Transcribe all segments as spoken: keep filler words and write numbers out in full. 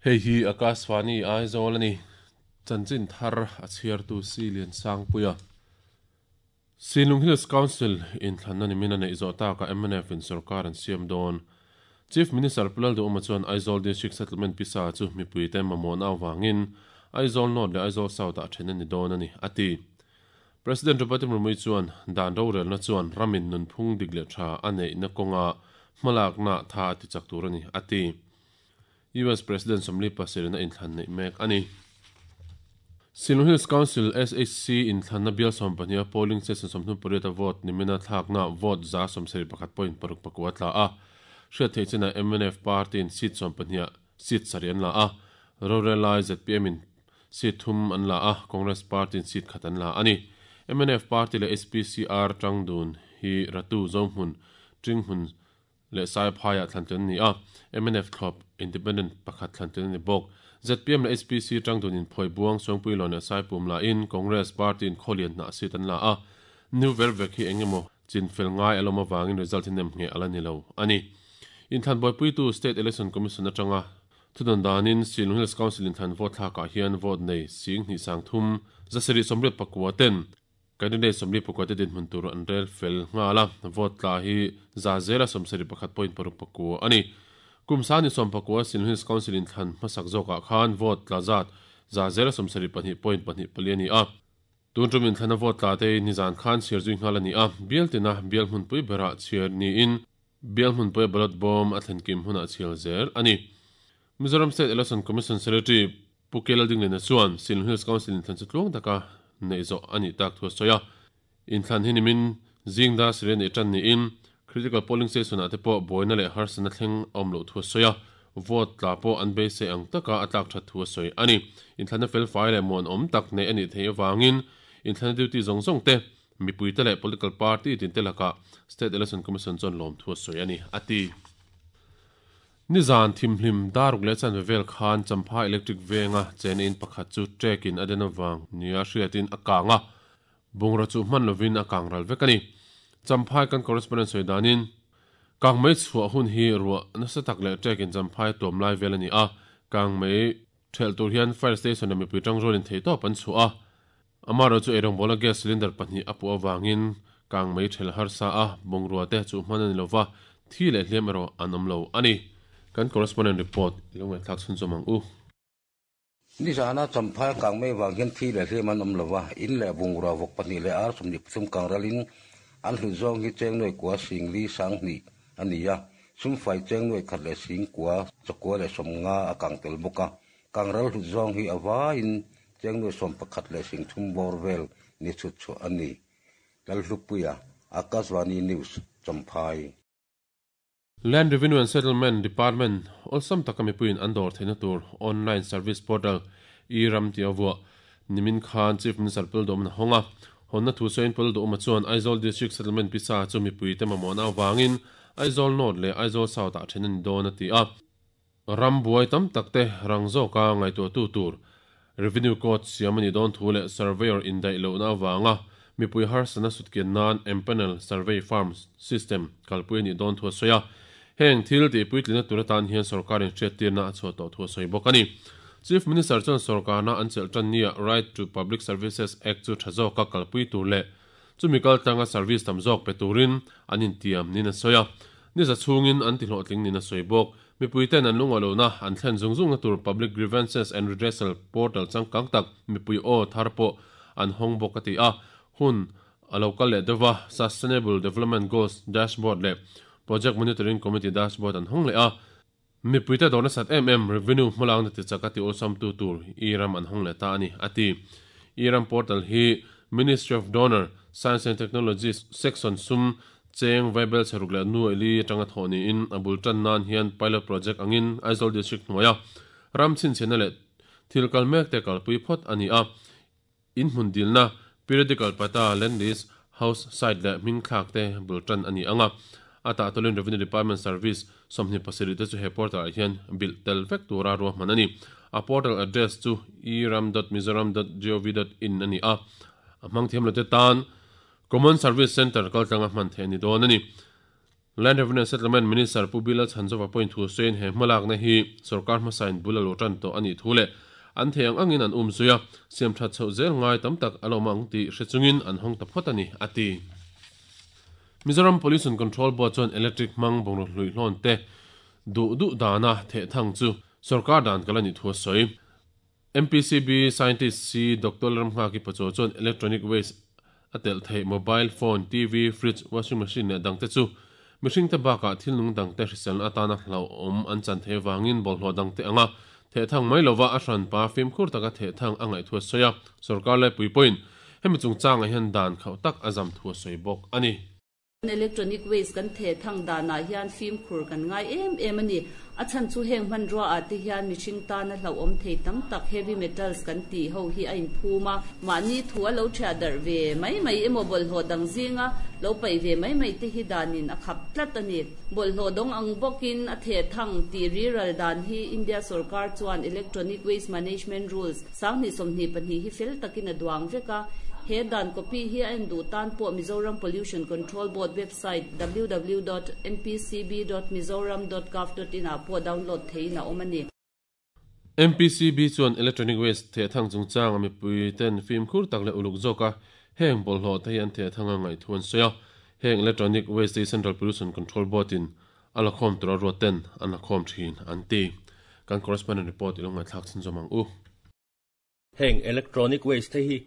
Hei hi Akashvani Aizawl ani. Chanchin thar a chhiartu Silian Sangpuia. Sinlung Hills Council in thlanna nimin a neih zawh taka M N F in sarkar an siam dawn. Chief Minister Pu Lalduhoma chuan Aizawl District Settlement pisa chu mipuite mamawhna awangin Aizawl North leh Aizawl South ah then ani dawn ani ati. President Draupadi Murmu chuan dan rorelna chuan ramin nunphung dik leh tha a neihna kawnga hmalakna tha a ti chak tur ani ati. U S President Somli Pasirina in thlan neih mek ani. Sinlung Hills Council S H C in thlanna bial sawm pahnih a polling station sawmthum pariat a vote nimina thlakna vote za sawmsarih pakhat point paruk pakua tla a. Hriat theih chena M N F party in seat sawm pahnih seat sarih an la a. Rorelai Z P M in seat thum an la a. Congress party in seat khat an la ani. M N F party le S P C R tangdun hi ratu zohmun tinghmun le sai phaya thlanten ni a. M N F thlop independent pakhat thlanten ni bok. Z P M le S P C tangdun in phoi buang songpui lon le sai pum la in Congress party in kholian na seat an la a. New vervek hi engemaw chin fel ngai aloma wangin result in nem nge ala ni lo ani. In thlan boi pui tu State Election Commission atanga thudon danin Sinlung Hills Council in thlan vote thlaka hian vote nei sing ni sang thum zasari somriat pakua ten candidate somli pakua te din hmun tur an rel fel ngala vote tla hi za zela somsari pakhat point paruk pakua ani. Kumsani som pakua Sinlung Hills Council in thlan hmasak zawka khan vote tla zat za zela somsari pahnih point pahnih pali ani a. Tun tum in thlana vote tla te ni zan khan sir zui ngal ani a. Bial tina bial hmun pui bera chhiar ni in bial hmun pui ballot bomb a thlen kim huna chhial zel ani. Mizoram State Election Commission Secretary Pu Kelal Dinglena chuan Sinlung Hills Council in thlan chu tluang taka nei zawh ani tak thu soya. In thlan hi nimin zingda siren e tan ni in critical polling station ah te pawh buaina leh harsana thleng awm loh thu soya. Vote tla pawh an beisei ang taka a tlak that thu sawi ani. In thlanna fel fai leh muan awm tak nei ani thei awangin in thlanna duty zawng zawng te mipuite leh political party tin te laka State Election Commission chuan lawm thu sawi ani ati. Nizan thimhlim daruk leh chan vel khan Champha Electric venga chen in pakhat chu trek in adena wang nia hriatin a kanga bungra chu hman lovin a kangral vek ani. Champhai kan correspondent sawi danin kang mai chhuah hun hi ruah nasa tak leh trek in Champhai tuam lai vel ani a. Kang mai thel tur hian fire station ami pui tang rolin thei tawp an chu a. Amaro chu erong bola gas cylinder pahnih a pu awangin kang mai thel harsa a bungrua te chu hman ani lova thi leh hliam erawh an awm lo ani. Kan correspondent report lungai thlak chhun chawmang u. Ni zana Champhai kang mai wang hian thi leh hliam an awm lova in leh bungrua vawk pahnih leh ar sawmhnih pathum kang ralin an hlut zawng hi cheng nuai kua singli sanghnih ani a. Sumfai cheng nuai khat leh sing kua chakua leh sawmnga a kang tel bawk a. Kang ral hlut zawng hi awa in cheng nuai sawm pakhat leh sing thum bawr vel ni chhut chu ani. Lalhlupuia Akashvani News Champhai. Land Revenue and Settlement Department awlsam taka mipuiin an dawr theihna tur online service portal e-ram ti awua nimin khan Chief Minister Pu Lalduhoma honga honna thu sawiin Pu Lalduhoma chuan Aizawl District Settlement pisa chu mipuite mamawhna awangin Aizawl North leh Aizawl South ah then ani dawn a ti a. Ram buai tam tak te rang zawka ngaihtuah tu tur Revenue Code siam ani dawn thu leh surveyor indaih lohna awanga mipui harsana sutkian nan empanel survey farm system kalpui ani dawn thu a sawi a. Heng thil ti puitlina tur atan hian sarkarin hriattirna a chhuah tawh thu a sawi bawk ani. Chief Minister chuan sarkarna an chelh tan nia Right to Public Services Act chu tha zawka kalpui tur leh chumi kal tanga service tam zawk pe turin an intiam nin a sawi a. Ni za chhungin an ti hlawhtling nin a sawi bawk. Mipuiten an lunga lohna an thlen zung zung na tur Public Grievances and Redressal Portal changkang tak mipui aw thar pawh an hawng bawk a ti a. Hun a lo kal leh deuha Sustainable Development Goals Dashboard leh Project Monitoring Committee Dashboard an hawng leh a. Mipuite dawrna sat em em revenue hmalang na ti chak a ti awlsam tu tur e-ram an hawng leh ta ani ati. E-ram portal hi Ministry of Donor Science and Technology section sum cheng vaibel cheruk leh nu eli atanga thawh niin a bul tan nan hian pilot project angin Aizawl District hnuaia ram chhinchhena leh thil kal mek te kalpui phawt ani a. In hmun dilna periodical pata land list house site leh hming thlak te bul tan ani anga. Ata atolin Revenue Department Service sawmhnih pasarih te chu he portal ah hian bil tel vek tura ruahman ani. A portal address chu e ram dot mizoram dot gov dot in ani a. A hmang thiam lo te tan Common Service Center kaltlanga hman thei ani dawn ani. Land Revenue Settlement Minister Pu Bill Lalchhanzova point thu sawiin he hmalakna hi sarkar hmasain bul a lo tan tawh ani thu le an theiang angin an um zuia siam that chho zel ngai tam tak a lo mang ti hrechungin an hawng ta phawt ani ati. Mizoram Pollution Control Board chuan electric mang bawng hlui hlawn te du du dana the thang chu sarkar dan kalani thu sawi. M P C B scientist C Doctor Ramha ki pacho chuan electronic waste atel thei mobile phone, T V, fridge, washing machine le dang te chu mihring te baka thil nung dang te hrisel atana hlau awm an chan the wangin bawlhhlawh dang te anga the thang mai lova a hran pa fimkhur taka the thang angai thu soya sarkar le puipoin hemi chungchang a hian dan khau tak azam thu soi bawk ani. Electronic waste kan the thang dana hian fimkhur kan ngai em em ani a chan chu heng man ro a te hian mihring ta na hlau awm thei tam tak heavy metals kan ti ho hi a in phuma mani thu a lo thia dar ve mai mai emo bol ho dang zinga lo pai ve mai mai te hi danin a khap tlat ani bol ho dong ang bokin a the thang ti ri ral dan hi India sarkar chuan electronic waste management rules sangni somni pani hi fel takin a duang veka he dan copy hi an du tan po Mizoram Pollution Control Board website w w w dot m p c b dot mizoram dot gov dot in a po download theina omani. M P C B chuan electronic waste the thang chungchang ami pui ten film khur tak le uluk zoka heng bolhlo thei an the thanga ngai thuan soya heng electronic waste Central Pollution Control Board in alakhom tura roten an lakhom thin an ti kan correspondent report ilonga thlak chin zomang u. Heng electronic waste hi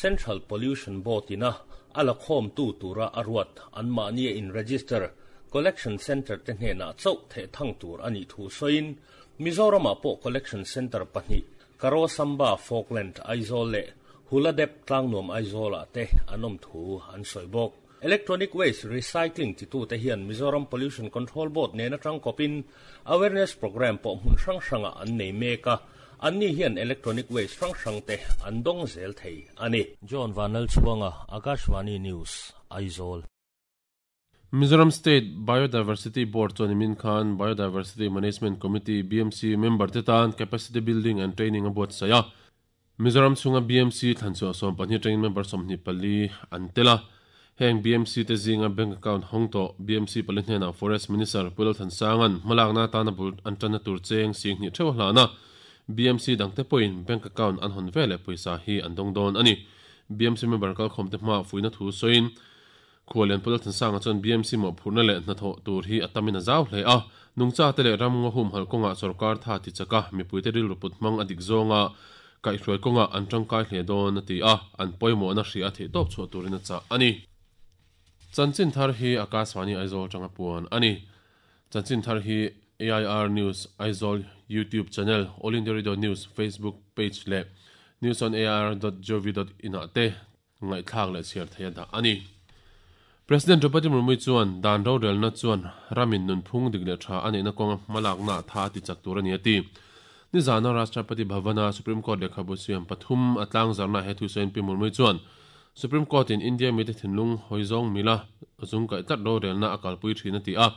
Central Pollution Board ina alakhom tu tura arwat an mani in register collection center te hne na chau the thang tur ani thu soin Mizoram po collection center pahni Karosamba Falkland Aizawl le Huladep Tlangnuam Aizawl te anom thu an soibok. Electronic waste recycling ti tu te hian Mizoram Pollution Control Board ne na tang kopin awareness program po mun hrang hranga an nei meka anni hian electronic waste hrang hrang te an dong zel thei ani. John Vanal Chuanga, Akashvani News, Aizawl. Mizoram State Biodiversity Board chuan min khan Biodiversity Management Committee B M C member te tan capacity building and training a buat saya. Mizoram chunga B M C thanchu som pahnih training member somni pali an tela heng B M C te zinga bank account hong to B M C pali hnena Forest Minister Pulal Thansangan malakna tana bul an tana tur cheng sing ni theu hlana B M C dangte point bank account an hon vele poisa hi an dong don ani. B M C member kal khom te hma fuina thu soin khualen Pulal Thansanga chuan B M C mo phurna le hna tho tur hi atamina zau hle a nungcha te le ram ngo hum hal konga sarkar tha ti chaka mipui te ril ruput mang adik zonga kai hroi konga an tangkai hle don ati a an poimo na hri a the top chu turina cha ani. Chanchin thar hi Akashvani Aizawl tanga puan ani. Chanchin thar hi A I R News Aizawl YouTube channel, All India Radio News Facebook page le news on a i r dot gov dot in a te ngai thlak le chiar theia da ani. President Draupadi Murmu chuan dan ro rel na chuan ramin nun phung dik le tha ani na konga malak na tha ti chak tur ani ati. Ni zana Rashtrapati Bhavana Supreme Court lekhabu siam pathum atlang zarna he thu sen P Murmu chuan Supreme Court in India mi te thinlung hoizong mila zung kai tlat ro rel na akal pui thina ti a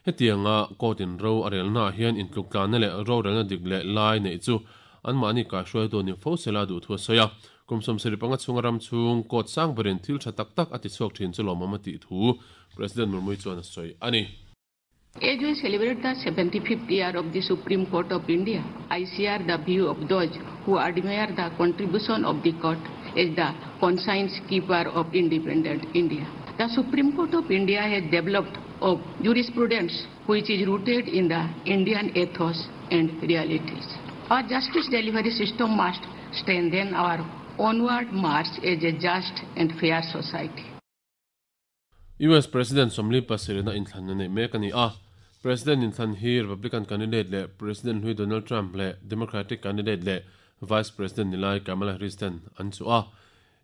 hetianga court in ro arel na hian intluk tlan na le ro rel na dik le lai nei chu an mani ka hruai do ni fo sela du thu soya kumsom seri panga chunga ram chung court sang berin thil tha tak tak ati chhuak thin chu lomama ti thu President Murmu chuan a soi ani. As we celebrate the seventy-fifth year of the Supreme Court of India, I share the view of those who admire the contribution of the court as the conscience keeper of independent India. The Supreme Court of India has developed a jurisprudence which is rooted in the Indian ethos and realities. Our justice delivery system must strengthen our onward march as a just and fair society. U S President Somli Pasirina inthlan na nei mek ani a. President inthlan hi Republican candidate le President hui Donald Trump le Democratic candidate le Vice President nilai Kamala Harris ten an chu a.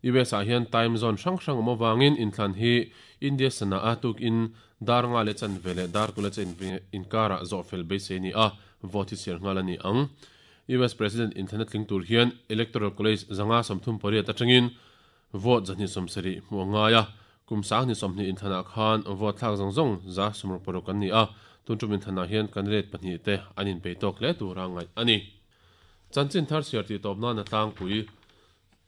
U S a hian time zone hrang hrang awm awangin inthlan hi India sana a tuk in dar nga le chan vele dar kula chen inkara zawh fel beisei ni a vote hi siar nghal ani ang. U S President inthlan tling tur hian Electoral College zanga sawmthum pariat atangin vote zahni sawmsarih hmu angai a. Kum sang ni somni inthana khan vote thlak zong zong za sumro porok an ni a tuntum inthana hian candidate pahnih te an in pe tok le tura ngai ani. Chanchin thar siar ti tawp na na tlangpui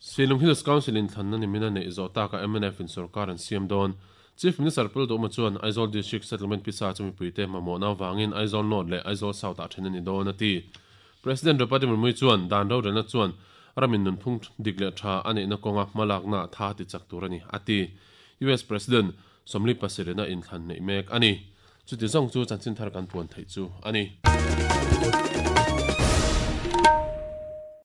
Silung Hills Council in than na ni mina nei zo ta ka M N F in sarkar an siam don Chief Minister Pul Doma chuan Aizawl District Settlement pisa chumi puite mamawhna wangin Aizawl North leh Aizawl South ah then ani dawn ati. President Draupadi Murmu chuan dan rorelna chuan ramin nunphung dik leh tha ani na kawnga hmalakna tha ti chak tur ani ati. U S President Somli Pasirena in thlan nei mek ani. Chuti zong chu chanchin thar kan puan thei chu ani.